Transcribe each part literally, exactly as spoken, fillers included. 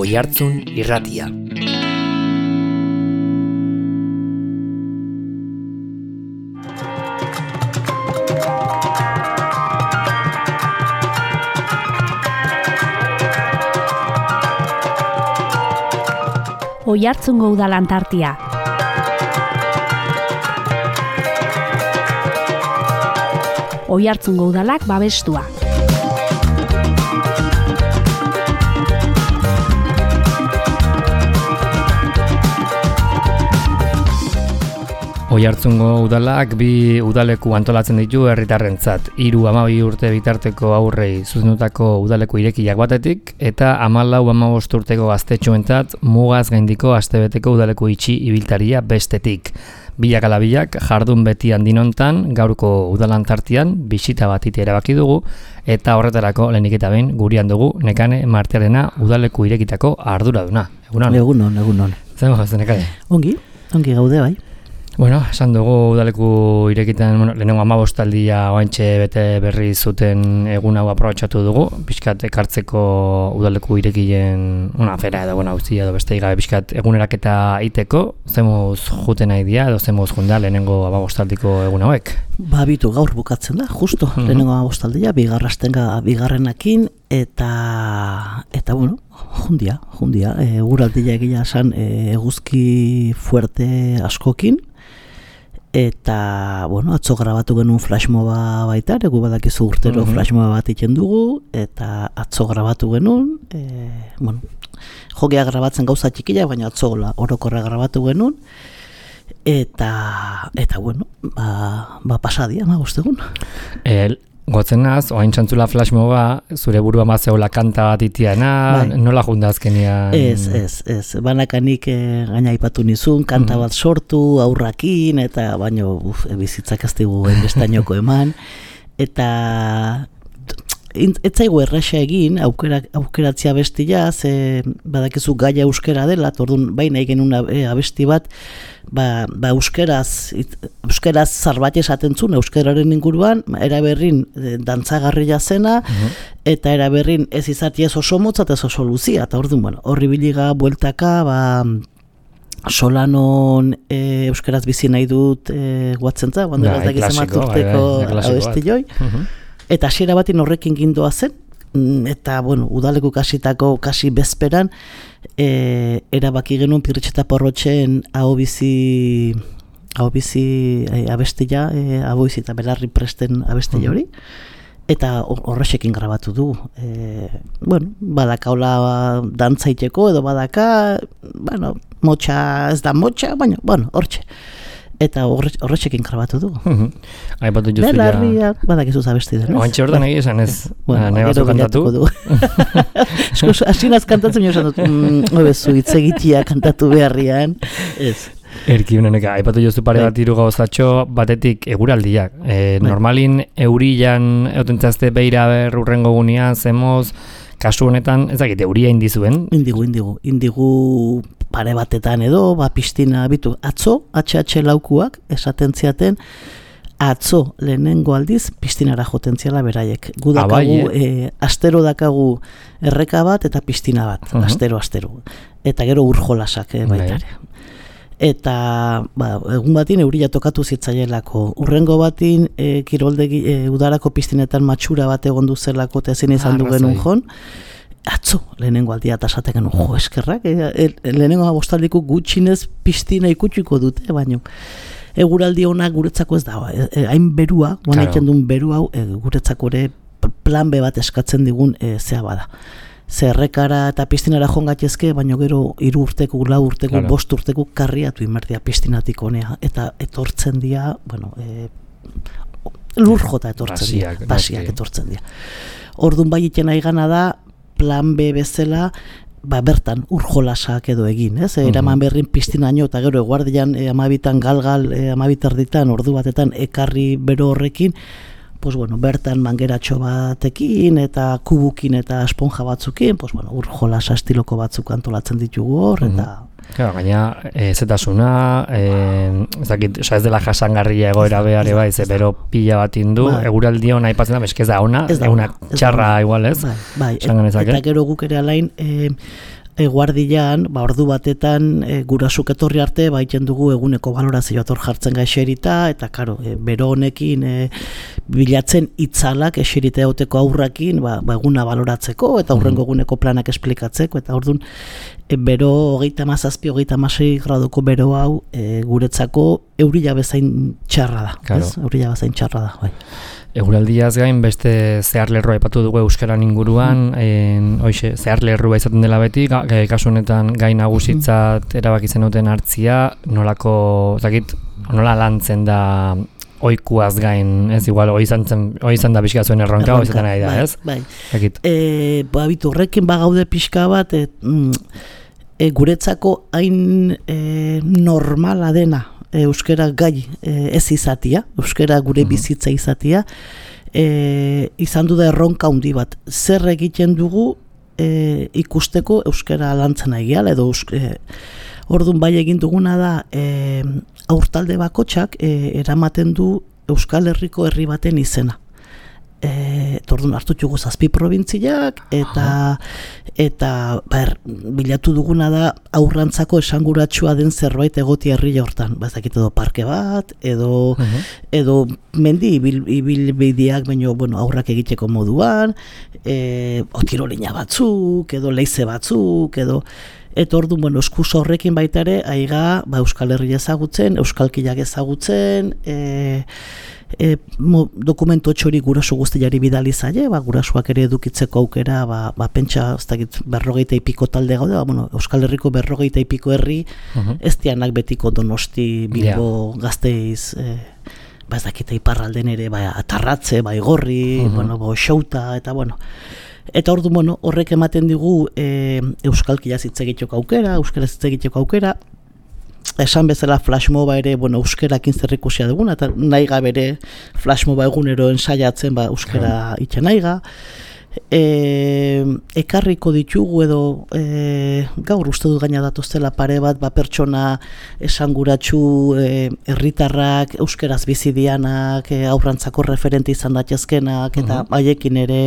Oihartzun Irratia. Oihartzungo Udal Antartia. Oihartzungo Udalak babestua. Oihartzungo Udalak bi udaleku antolatzen ditu herritarrentzat. Hiru hamabi urte bitarteko aurrei zuzendutako udaleku irekiak batetik eta hamalau hamabost urteko gaztetxoentzat mugaz gaindiko astebeteko udaleku itxi ibiltaria bestetik. Bilak ala bilak jardun beti handinontan gaurko Udal Antartian bisita bat ite erabaki dugu eta horretarako lehenik eta behin gurean dugu Nekane Martiarena udaleku irekitako arduraduna. Egunon. Egunon, egunon. Zer moz, Nekane? Ongi, ongi gaude bai. Bueno, esan dugu udaleku irekitan, bueno, lehenengo hamabostaldia oantxe bete berri zuten egun hau aprobetxatu dugu, pixkat ekartzeko udaleku irekilen, una afera edo, bueno, hauzi edo beste gabe pixkat eguneraketa iteko, zemuz juten nahi dia, edo zemuz junda lehenengo hamabostaldiko egun hauek? Ba, bitu gaur bukatzen da, justo, mm-hmm. lehenengo hamabostaldia, bigarrastenga bigarrenakin, eta, eta bueno, jundia, jundia, e, guraldia egia esan e, eguzki fuerte askokin, eta, bueno, atzo grabatu genuen flashmoba baita, egu badakizu urtero mm-hmm. flashmoba bat iten dugu, eta atzo grabatu genuen, e, bueno, jogea grabatzen gauza txikila, baina atzo orokorra grabatu genuen, eta, eta bueno, ba, ba pasadia, ma guztegun. El... Gotzen naz, oain txantzula flashmoba, zure burua mazeola kanta bat itiana, bai. Nola junda azkenian? Ez, ez, ez. Banakanik e, gaina ipatu nizun, kanta mm-hmm. bat sortu, aurrakin, eta baino uf, bizitzak ez digu enbestainoko eman. Eta ez zaigu erraxa egin, aukera, aukeratzea bestia, ze badakizu gaia euskera dela, orduan baina egin una e, abesti bat, ba, ba euskeraz, it, euskeraz zarbait esaten zuen, euskeraren inguruan, eraberrin e, dantzagarria zena, uh-huh. eta eraberrin ez izati ez oso motza eta ez oso luzia, eta orduan, bueno, horri biliga, bueltaka, ba, solanon e, euskeraz bizi nahi dut e, guatzentza, guando ez dakiz emat urteko abesti joi, uh-huh. Eta hasiera batin horrekin gindoa zen, eta, bueno, udaleku kasitako kasi bezperan, e, erabaki genuen Pirritx eta Porrotxen ahobizi, ahobizi e, abestia, e, ahobizi eta belarri presten abestia hori, eta horrexekin grabatu du. E, bueno, badakaula dantzaiteko edo badaka, bueno, motxa ez da motxa, baina, bueno, hortxe. Eta horretxekin grabatu du. Uh-huh. Aipatu juzu ja... Belarria, badakizu zabesti den, ez? Oantxe hortan egi esan ez, bueno, nahi batzu kantatu. Esko, asinaz kantatzen jo esan dut, mm, obezu, itzegitia kantatu beharrian, ez. Erki honeneka, aipatu juzu pare bat hiru gauzatxo, batetik eguraldiak. E, normalin eurilan eutentzazte beira berrurrengo gunean, zemoz, kasu honetan, ez dakit, euria indizuen? Indigu, indigu, indigu pare batetan edo, ba, piztina bitu, atzo, H H laukuak, esaten ziaten, atzo lehenengo aldiz, piztinara joten ziala beraiek. Gu dakagu, e, astero dakagu erreka bat eta piztina bat, uh-huh. astero, astero. Eta gero urjolasak e, baitare. Eta ba, egun batin euria tokatu zitzaielako. Urrengo batin e, kiroldegi e, udarako piztinetan matxura bat egon duzelako eta ezin izan du genuen jon. Atzo, lehenengo aldia eta esaten genuen, jo, eskerrak, e, e, lehenengo abostaldiko gutxinez piztina ikutsiko dute, baino eguraldi honak guretzako ez da, e, e, hain berua, guan egiten duen beru hau, e, guretzako ere plan be bat eskatzen digun e, zea bada. Zerrekara eta piztinara jongatezke, baino gero hiru urteko, lau urteko, claro. bost urteko karriatu inmerdia piztinatik honea, eta etortzen dira, bueno, e, lur jota etortzen dira, pasiak etortzen dira. Orduan bai iten nahi gana da, plan B bezala, ba, bertan urjolasak edo egin, ez? E, eraman berrin piztinaino eta gero eguardian e, amabitan galgal, e, amabitarditan, ordu batetan ekarri bero horrekin, pues bueno, bertan mangeratxo batekin eta kubukin eta esponja batzukin, pues bueno, urjolasa estiloko batzuk antolatzen ditugu hor, eta Claro, gaina ezetasuna, eh, ez dakit, oza, ez dela jasangarria egoera behar bai, ze bero pila bat indu, bai. Eguraldi hona aipatzen da, eskez da ona, eguna txarra igual ez? Bai, bai. Et, eta gero guk ere alain, eh, eguardian, ba, ordu batetan e, gurasuk etorri arte, ba, iten dugu eguneko balorazio ator jartzen ga eserita, eta karo, e, bero honekin e, bilatzen itzalak eserita egoteko aurrakin, ba, ba, eguna baloratzeko, eta aurrengo eguneko planak esplikatzeko, eta orduan, e, bero hogeita mazazpi, hogeita masei graduko bero hau e, guretzako eurila bezain txarra da, claro. Ez? Eurila bezain txarra da, bai. Eguraldiaz gain beste zeharlerroa aipatu dugu euskaran inguruan, mm. en, oixe, zeharlerroa izaten dela beti, ga, kasu honetan gai nagusitzat erabaki zenuten hartzia, nolako, zakit, nola lantzen da oikuaz gain, ez igual, hoi izan, izan da pixka zuen erronka, hoi zaten nahi da, ez? Bai, bai. E, ba, bitu, horrekin bagaude pixka bat, et, mm, e, guretzako hain e, normala dena, euskara gai e, ez izatia, euskara gure bizitza izatia, e, izan du da erronka handi bat. Zer egiten dugu e, ikusteko euskara lantzen egiala, edo e, orduan bai egin duguna da e, aurtalde bakotxak e, eramaten du Euskal Herriko herri baten izena. E, orduan hartu dugu zazpi probintziak, eta eta ber, bilatu duguna da aurrantzako esanguratsua den zerbait egoti herri hortan. Ba, ez dakit edo parke bat, edo, uh-huh. edo mendi ibilbideak, baino bueno, aurrak egiteko moduan, e, otirolina batzuk, edo leize batzuk, edo eta orduan, bueno, eskus horrekin baita ere, aiga, ba, Euskal Herria ezagutzen, Euskalkiak ezagutzen, e, E, mo, dokumento txori guraso guztiari bidali zaie, ba, gurasoak ere edukitzeko aukera, ba, ba, pentsa ez dakit, berrogeita ipiko talde gaude, ba, bueno, Euskal Herriko berrogeita ipiko herri, uh-huh. ez dianak betiko Donosti, Bilbo, yeah. Gasteiz, e, ba, ez dakit iparralden ere, ba, Atarratze, ba, Igorri, uh-huh. bueno, ba, Xouta, eta bueno, eta ordu, bueno, horrek ematen digu e, Euskalkia hitz egiteko aukera, euskaraz hitz egiteko aukera, esan bezala flashmoba ere, bueno, euskerakin zerrikusia duguna, eta nahi gabe ere flashmoba egunero ensaiatzen, ba, euskera itxe nahi ga. E, ekarriko ditugu edo e, gaur uste dut gaina datuztela pare bat, ba, pertsona esanguratsu herritarrak, e, euskeraz bizidianak, e, aurrantzako referente izan datezkenak, eta uh-huh. haiekin ere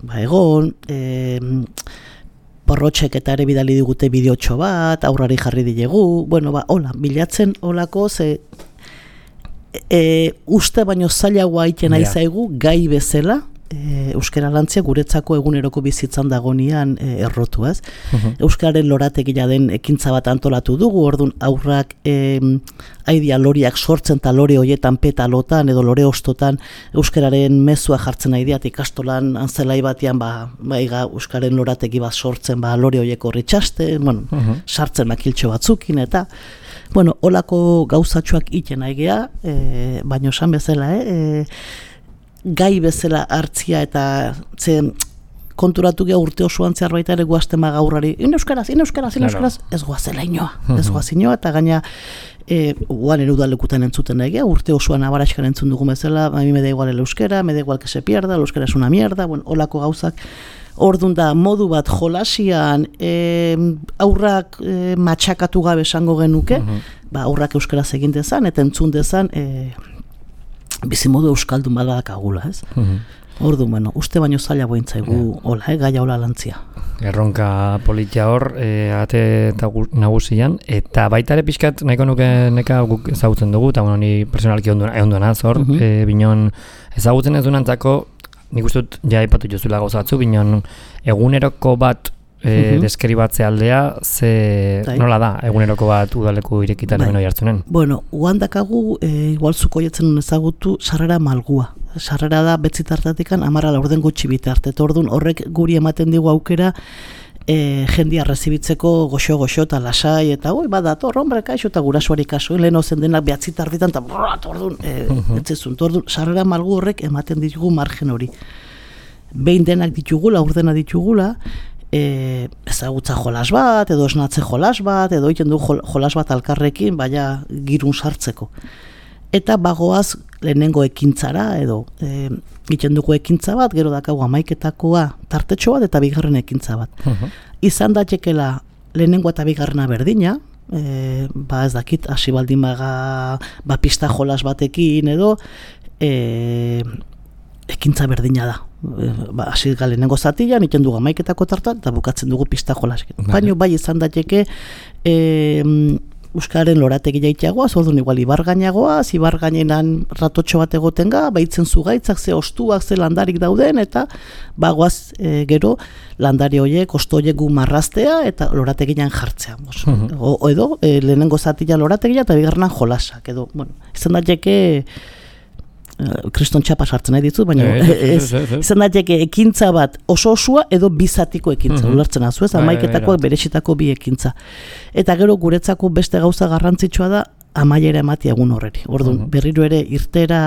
ba, egon, e, Porrotxek eta ere bidali digute bideotxo bat, aurrari jarri dilegu, bueno, ba, hola, bilatzen holako, ze e, uste baino zailagoa iten nahi zaigu, gai bezala, e, euskara lantzia guretzako eguneroko bizitzan dagonian e, errotu, ez? Uh-huh. Euskararen lorategia den ekintza bat antolatu dugu, orduan aurrak e, aidia loriak sortzen eta lore hoietan petalotan edo lore ostotan euskararen mezua jartzen aidiat ikastolan antzelai batean ba, baiga euskaren lorategi bat sortzen ba, lore hoiek horri txaste, bueno, uh-huh. sartzen makiltxo batzukin eta bueno, olako gauzatxoak iten aigea, e, baino esan bezala, eh? E, gai bezala hartzia eta ze konturatu gea urte osoan zehar baita ere guazten gaurrari, in euskaraz, in euskaraz, in euskaraz, ez guazela inoa, ez guazinoa, eta gaina e, guan erudalekutan entzuten egea, urte osoan abaraxkan entzun dugu bezala, a mi me da igual el euskera, me da igual que se pierda, el euskera es una mierda, bueno, olako gauzak, ordun da modu bat jolasian e, aurrak e, matxakatu gabe esango genuke, uh-huh. ba, aurrak euskaraz egin dezan, eta entzun dezan, e, bizimodu euskaldun badakagula, ez? Uh-huh. Ordu, bueno, uste baino zaila bointzaigu, yeah. hola, eh, gaia hola lantzia. Erronka politia hor, e, ate eta nagusian, eta baita ere pixkat nahiko nuke neka guk ezagutzen dugu, eta bueno, ni personalki onduena zor, uh-huh. e, binon ezagutzen ez dunantzako, nik uste dut ja aipatu jozula gauzatzu, binon eguneroko bat e, uh-huh. deskribatze aldea, ze Dai. Nola da eguneroko bat udaleku irekitaren bai. Jartzunen? Bueno, uandakagu, e, igual zuko jetzen ezagutu, sarrera malgua. Sarrera da betzitartatikan amara laurden gutxi bitarte. Ordun horrek guri ematen digu aukera e, jendia rezibitzeko goxo-goxo eta lasai eta oi, badator, hombre, kaixo eta gurasuari kaso, lehen ozen denak behatzitartitan eta brrat, orduan, e, uh-huh. etzezun, orduan, sarrera malgu horrek ematen ditugu margen hori. Behin denak ditugula, urdena ditugula, e, ezagutza jolas bat, edo esnatze jolas bat, edo egiten du jolas bat alkarrekin, baina girun sartzeko. Eta bagoaz lehenengo ekintzara, edo e, egiten dugu ekintza bat, gero dakagu amaiketakoa tartetxo bat, eta bigarren ekintza bat. Uh-huh. Izan datekela lehenengo eta bigarrena berdina, e, ba ez dakit, hasi baldin baga, ba pista jolas batekin, edo e, ekintza berdina da. ba, hasi galenengo zatian, iten dugu amaiketako tartan, eta bukatzen dugu pista jolaskin. Baina bai izan dateke, e, Euskararen lorategi jaiteagoaz, orduan igual ibargainagoaz, ibargainenan ratotxo bat egotenga, baitzen zugaitzak, ze ostuak, ze landarik dauden, eta bagoaz e, gero landari horiek, osto horiek gu marraztea, eta lorategian jartzea. Mm-hmm. O, o edo, e, lehenengo zatia lorategia, eta bigarrenan jolasak, edo, bueno, izan dateke, kriston txapa sartzen nahi ditut, baina izan daiteke ekintza bat oso osua edo bizatiko ekintza, mm-hmm. ulertzen azu ez, amaiketakoak berexitako bi ekintza. Eta gero guretzako beste gauza garrantzitsua da amaiera ematia egun horreri. Orduan, mm-hmm. berriro ere irtera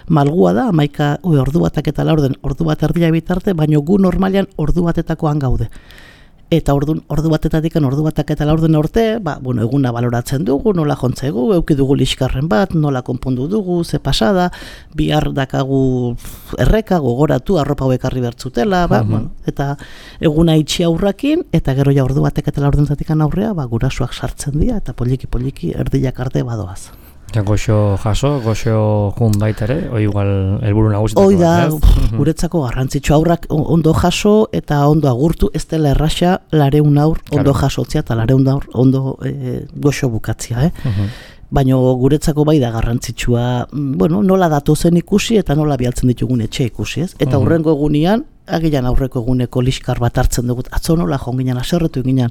malgua da, amaika oi, ordu batak eta laurden, ordu bat erdia bitarte, baina gu normalian ordu batetakoan gaude. Eta ordu, ordu batetatik ordu batak eta laurden orte, ba, bueno, eguna baloratzen dugu, nola jontzegu, euki dugu liskarren bat, nola konpondu dugu, ze pasada, bihar dakagu erreka, gogoratu, arropa hoekarri bertzutela, ba, uh-huh. bueno, eta eguna itxi aurrakin, eta gero ja ordu batek eta laurdentatik aurrea, ba, gurasuak sartzen dira, eta poliki-poliki erdiak arte badoaz. Ja, goxo jaso, goxo jun baita ere, oi igual helburu nagusitako. Oi da, guretzako garrantzitsu aurrak ondo jaso eta ondo agurtu, ez dela erraxa lareun aur ondo claro. jasotzia eta lareun aur ondo e, goxo bukatzia, eh? Uh-huh. Baina guretzako bai da garrantzitsua, bueno, nola datozen ikusi eta nola bialtzen ditugun etxe ikusi, ez? Eta uh-huh. hurrengo egunean, agian aurreko eguneko liskar bat hartzen dugu, atzo nola jonginan, aserretu eginan,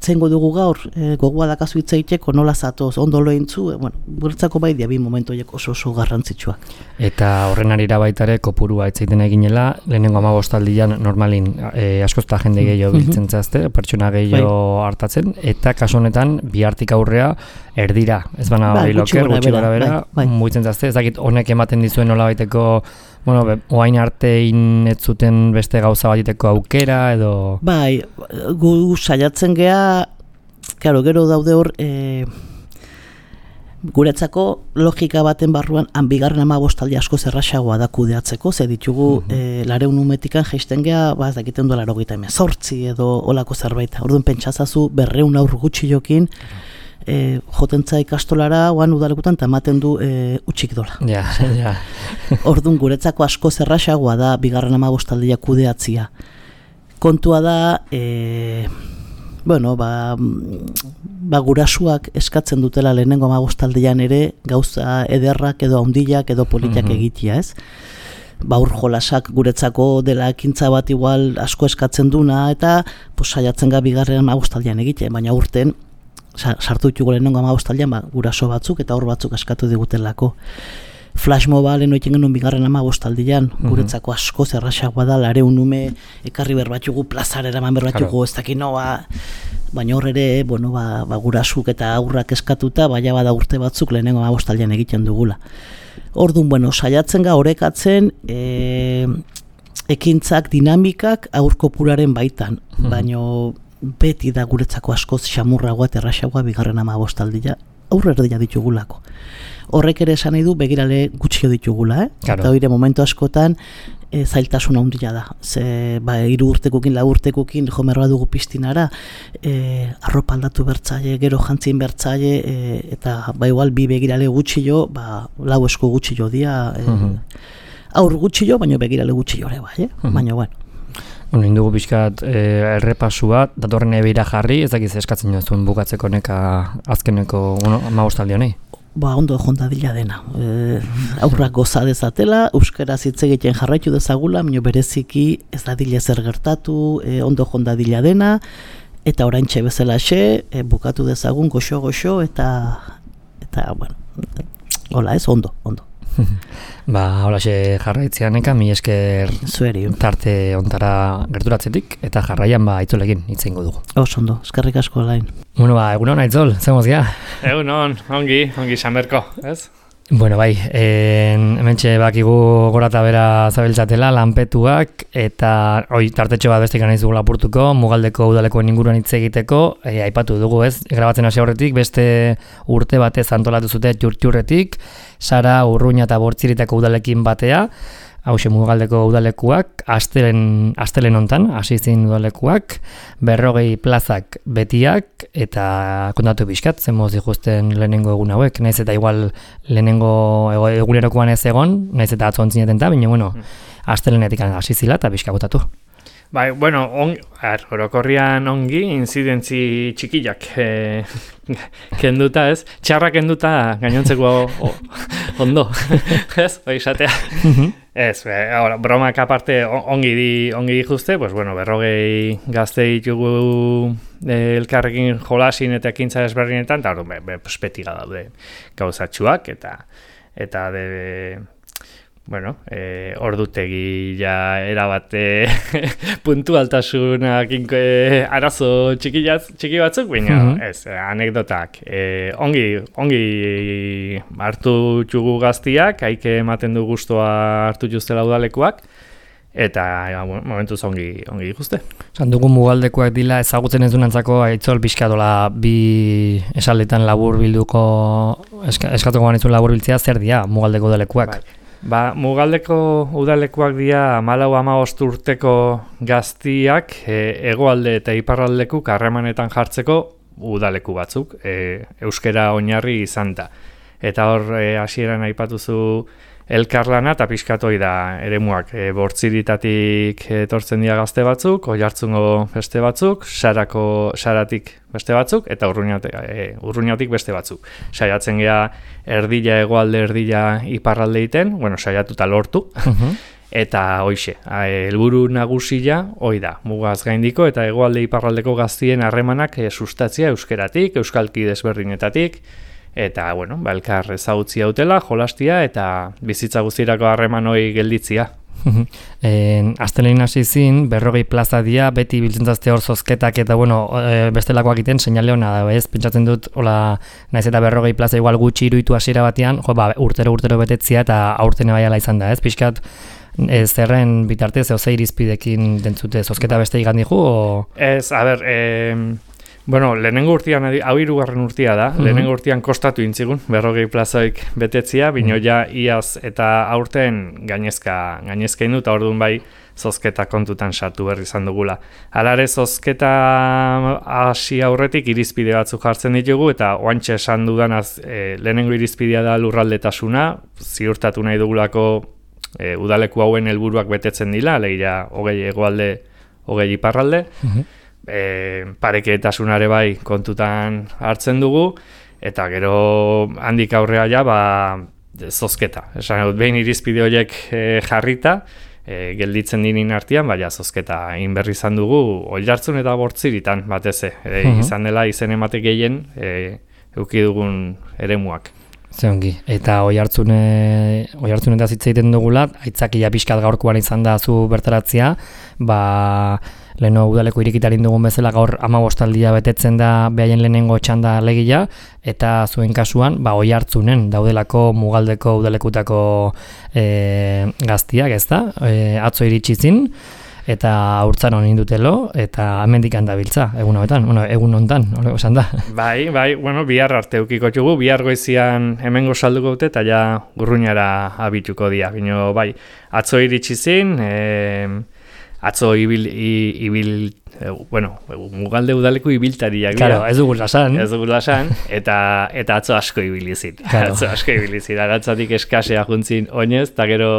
zengo dugu gaur, e, gogoa dakazu itzaiteko, nola zatoz, ondo lointzu, e, bueno, guretzako bai dia bi momentu horiek oso oso garrantzitsuak. Eta horren arira baitare kopurua itzaiten eginela, lehenengo hamabostaldian normalin e, askosta jende gehiago biltzen zazte, pertsona gehiago bai. hartatzen, eta kasu honetan bihartik aurrea erdira, ez bana bai, loker, gutxi gara bera, bai, bai. mugitzen zazte, ez dakit honek ematen dizuen nola baiteko, bueno, be, oain artein ez zuten beste gauza batiteko aukera, edo... Bai, gu saiatzen gea, claro, gero daude hor, e, guretzako logika baten barruan, han bigarren hamabostaldi asko zerraxagoa da kudeatzeko, ze ditugu uh-huh. e, lareun umetikan jaisten gea, ba, ez dakiten duela erogeita hemezortzi edo olako zerbait. Orduan pentsazazu berreun aur gutxi jokin, E, jotentza ikastolara oan udalekutan eta ematen du e, utxik dola. Ja, ja. Orduan guretzako asko zerraxagoa da bigarren hamabostaldia kudeatzia. Kontua da, e, bueno, ba, ba gurasuak eskatzen dutela lehenengo hamabostaldian ere gauza ederrak edo haundilak edo politiak mm-hmm. egitea, ez? Ba, ur jolasak guretzako dela ekintza bat igual asko eskatzen duna eta pues, saiatzen ga bigarren hamabostaldian egite, baina urten sartu ditugu lehenengo hamabostaldian ba, guraso batzuk eta hor batzuk eskatu digutelako. Flash mobile enoitzen genuen bigarren hamabostaldian, mm-hmm. guretzako asko zerraxagoa da, lareun ume ekarri berbatugu, plazarera eman berbatugu, claro. ez dakit noa, baina hor ere, bueno, ba, ba, gurasuk eta aurrak eskatuta, baina bada urte batzuk lehenengo hamabostaldian egiten dugula. Orduan, bueno, saiatzen ga orekatzen, e, ekintzak, dinamikak aur kopuraren baitan, mm-hmm. baina beti da guretzako askoz xamurragoa eta erraxagoa bigarren hamabostaldia aurre erdia ditugulako. Horrek ere esan nahi du begirale gutxio ditugula, eh? Claro. Eta hori momentu askotan e, zailtasun handia da. Ze, ba, hiru urtekukin, lau urtekukin jomerroa dugu pistinara, e, arropa aldatu bertzaile, gero jantzin bertzaile, e, eta ba igual bi begirale gutxio, ba, lau esko gutxio dia, e, uh-huh. aur gutxio, baina begirale gutxio ere bai, eh? Uh-huh. Baina bueno. Bueno, indugu pixkat e, errepasua, datorren ebeira jarri, ez dakiz eskatzen jozun bukatzeko neka azkeneko bueno, hamabostaldi honei? Ba, ondo jondadila dena. E, aurrak goza dezatela, euskaraz hitz egiten jarraitu dezagula, baina bereziki ez dadila zer gertatu, e, ondo jondadila dena, eta oraintxe bezalaxe, e, bukatu dezagun goxo-goxo, eta, eta, bueno, hola ez, ondo, ondo. Ba, holaxe jarraitzeaneka, mi esker Zueri. Tarte ontara gerturatzetik, eta jarraian ba Aitzolekin hitz egingo dugu. Oso ondo, eskerrik asko Alain. Bueno, ba, egunon Aitzol, zemoz gea? Egunon, ongi, ongi Sanberko, ez? Bueno, bai, en, hementxe bakigu gora eta bera zabiltzatela, lanpetuak, eta oi, tartetxo bat beste ganaiz dugu lapurtuko, Mugaldeko udalekoen inguruan hitz egiteko, e, aipatu dugu ez, grabatzen hasi horretik, beste urte batez antolatu zute txurtxurretik, Sara, Urruña eta Bortziritako udalekin batea, hauxe Mugaldeko udalekuak, astelen, astelen hontan, hasi zin udalekuak, berrogei plazak betiak, eta kontatu bizkat, zemoz ikusten lehenengo egun hauek, naiz eta igual lehenengo egunerokoan ez egon, naiz eta atzo ontzineten ta, baina bueno, astelenetik hasi zila eta pixka botatu. Bai, bueno, on, ar, orokorrian ongi, inzidentzi txikiak e, kenduta, ez? Txarra kenduta gainontzeko o, ondo, ez? Bai, esatea. Ez, be, ahora, bromak aparte ongi di, ongi dituzte, pues bueno, berrogei gazte ditugu e, elkarrekin jolasin eta ekintza ezberdinetan, eta hori, be, be, pues, beti daude gauzatxuak, eta, eta de... Bueno, eh, ordutegi ja erabate puntualtasunak eh, arazo txiki, txiki batzuk, baina mm -hmm. ez, anekdotak. Eh, ongi, ongi hartu txugu gaztiak, haike ematen du guztua hartu justela udalekuak, eta ja, momentuz ongi, ongi ikuste. Zan dugu mugaldekoak dila ezagutzen ez dunantzako aitzol pixkatola bi esaldetan labur bilduko, eska, eskatuko ganezun labur biltzea, zer dia mugaldeko udalekuak? Bai. Ba, mugaldeko udalekuak dira hamalau hamabost urteko gaztiak e, hegoalde eta iparraldeku harremanetan jartzeko udaleku batzuk, e, euskera oinarri izan da. Eta hor e, hasieran aipatuzu elkarlana eta pixkatoi da eremuak e, bortziritatik etortzen dira gazte batzuk, Oiartzungo beste batzuk, sarako saratik beste batzuk eta urruñatik, e, urruñatik beste batzuk. Saiatzen gea erdila hegoalde erdila iparralde egiten, bueno, saiatuta lortu. Uh-huh. Eta hoixe, helburu nagusia hoi da, mugaz gaindiko eta hegoalde iparraldeko gaztien harremanak e, sustatzia euskeratik, euskalki desberdinetatik, eta, bueno, ba, elkar ezagutzi hautela, jolastia eta bizitza guztirako harreman hori gelditzia. En, Astelein hasi zin, berrogei plaza dia, beti biltzen zazte hor zozketak eta, bueno, e, bestelakoak iten, seinale hona da, ez? Pentsatzen dut, hola, naiz eta berrogei plaza igual gutxi iruditu hasiera batean, jo, ba, urtero-urtero betetzia eta aurten baiala izan da, ez? Pixkat, ez zerren bitartez, eo ze irizpidekin dentzute, zozketa beste igan dihu, o... Ez, a ber, eh... Bueno, lehenengo urtean, hau hirugarren urtea da, mm-hmm. lehenengo urtean kostatu intzigun, berrogei plazoik betetzia, bino ja iaz eta aurten gainezka, gainezka indu, eta orduan bai zozketa kontutan sartu berri izan dugula. Halare zozketa hasi aurretik irizpide batzuk jartzen ditugu, eta oantxe esan dudanaz e, lehenengo irizpidea da lurraldetasuna, ziurtatu nahi dugulako e, udaleku hauen helburuak betetzen dila, alegia hogei hegoalde, hogei iparralde, mm-hmm. E, pareketasunare bai kontutan hartzen dugu, eta gero handik aurrea ja, ba, zozketa. Esan dut, behin irizpide horiek e, jarrita, e, gelditzen dinin artean, baina zozketa egin berri izan dugu, Oiartzun eta Bortziritan, batez e, uh-huh. izan dela izen emate gehien e, eduki dugun eremuak. Zeongi, eta Oiartzune, Oiartzune eta zitza egiten dugula, aitzakia pixkat gaurkoan izan da zu bertaratzea, ba... Leheno udaleko irikitarin dugun bezala gaur hamabostaldia betetzen da behaien lehenengo txanda legia, eta zuen kasuan, ba, Oiartzunen daudelako mugaldeko udalekutako e, gaztiak, ez da? E, atzo iritsi zin, eta haurtzaron indutelo, eta hemendik handabiltza, egun honetan, bueno, egun hontan, hori esan da. Bai, bai, bueno, bihar arte eukiko txugu, bihar goizian hemengo salduko dute, eta ja Urruñara abituko dia, bino, bai, atzo iritsi zin, e, atzo ibil, ibil e, bueno, mugalde udaleko ibiltariak dira. Claro, ez dugu lasan. Ez dugu lasan, eta, eta atzo asko ibilizin. Claro. Atzo asko ibilizin, aratzatik eskasea juntzin oinez, eta gero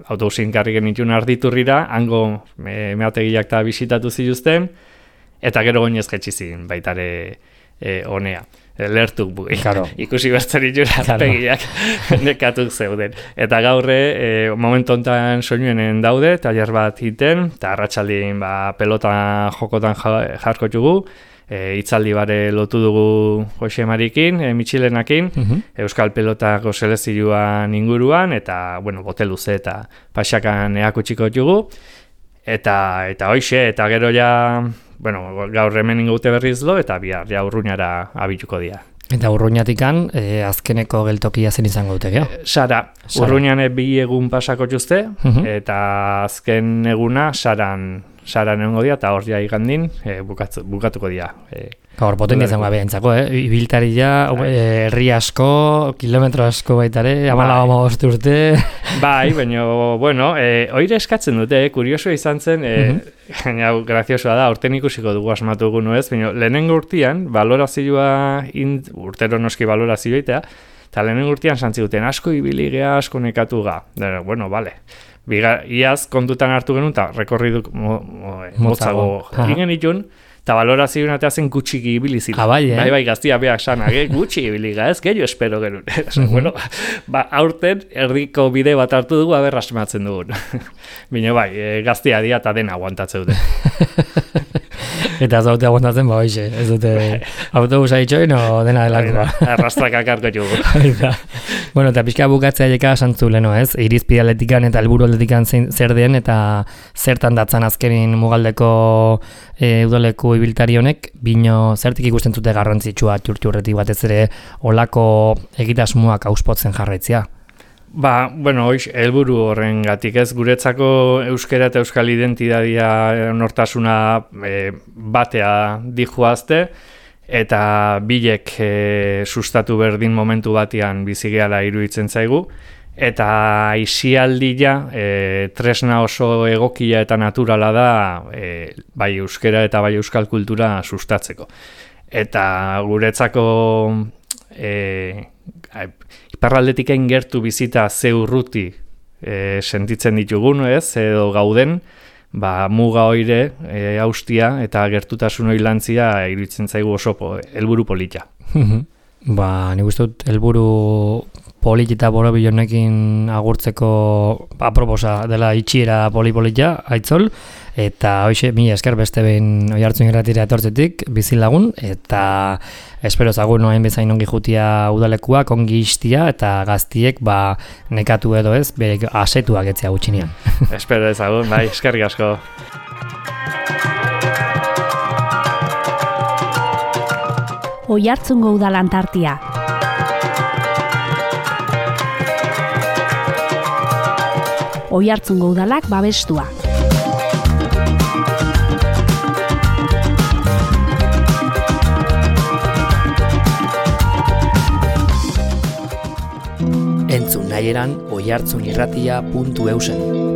autobusin karriken itxun arditurrira, hango me, meategiak eta bisitatu zituzten, eta gero oinez jetxizin baitare e, honea. Lertuk bugi, claro. Ikusi bertzen itxura claro. Pegiak nekatuk zeuden. Eta gaurre, e, momentu honetan soinuenen daude, taller bat iten, eta arratsaldien ba, pelota jokotan jarko txugu, e, itzaldi bare lotu dugu Jose Marikin, e, Mitxilenakin, uh-huh. Euskal pelotako selezioan inguruan, eta, bueno, bote luze eta pasakan eakutxiko txugu, eta, eta hoixe, eta gero ja... Bueno, gaur hemen ingoute berriz lo, eta bihar ja Urruñara abituko dira. Eta Urruñatikan, e, azkeneko geltokia zen izango dute, gero? Sara, Urruñan bi egun pasako txuzte, uh-huh. eta azken eguna Saran, Saran egongo dira, eta hor ja igandin e, bukatu, bukatuko dira. E, Gaur potentia izango behintzako, eh? Ibiltari ja, herri asko, kilometro asko baitare, amala bai. Amabost urte. Bai, baina, bueno, e, oire eskatzen dute, eh? Kurioso izan zen, e, uh-huh. graziosoa da, urten ikusiko dugu asmatu gu nuez, baina lehenengo urtean, balorazioa, int, urtero noski balorazioa itea, eta lehenengo urtean santziguten asko ibiligea, asko nekatu ga. Bueno, bale. Biga, iaz kontutan hartu genuen, eta rekorriduk mo, mo, motzago egin itun, eta balorazioen atea zen gutxiki ibili zila. Ah, bai, eh? Bai, bai, gaztia beak sana, eh? Gutxi ibili ez, gehiago espero genuen. Uh-huh. Bueno, ba, aurten erdiko bide bat hartu dugu, aber asmatzen dugun. Bino bai, e, gaztia dia eta dena aguantatzeu dute. Eta zaute aguantatzen, ba, hoxe, ez dute autobusa itxoin, o dena delakoa. Arrastrak akarko jugu. Bueno, eta pixka bukatzea jeka santzu leno, ez? Irizpide atletikan eta helburu atletikan zer den, eta zertan datzan azkenin mugaldeko e, udaleku ibiltari honek, bino zertik ikusten zute garrantzitsua txurtxurretik batez ere olako egitasmoak auspotzen jarraitzea. Ba, bueno, hoiz, helburu horren gatik ez, guretzako euskera eta euskal identidadia nortasuna e, batea dijoazte, eta bilek e, sustatu berdin momentu batean bizigeala iruditzen zaigu, eta aisialdia e, tresna oso egokia eta naturala da e, bai euskera eta bai euskal kultura sustatzeko. Eta guretzako e, iparraldetik gertu bizita ze urruti e, sentitzen ditugun, ez, edo gauden, ba, muga oire, e, austia eta gertutasun oilantzia iruditzen zaigu oso po, helburu polita. Ba, nik uste dut helburu polit eta borobil honekin agurtzeko aproposa dela itxiera poli-polita, aitzol, eta hoxe, mi esker beste behin Oiartzun irratira etortzetik, bizilagun, eta espero zagun noen bezain ongi jutia udalekuak, ongi istia, eta gaztiek ba, nekatu edo ez, bere asetuak etzea gutxinean. Espero ezagun, bai, eskerrik asko. Oiartzungo udalan tartia. Oiartzungo udalak babestua. Entzun nahieran oiartzunirratia puntu eusen.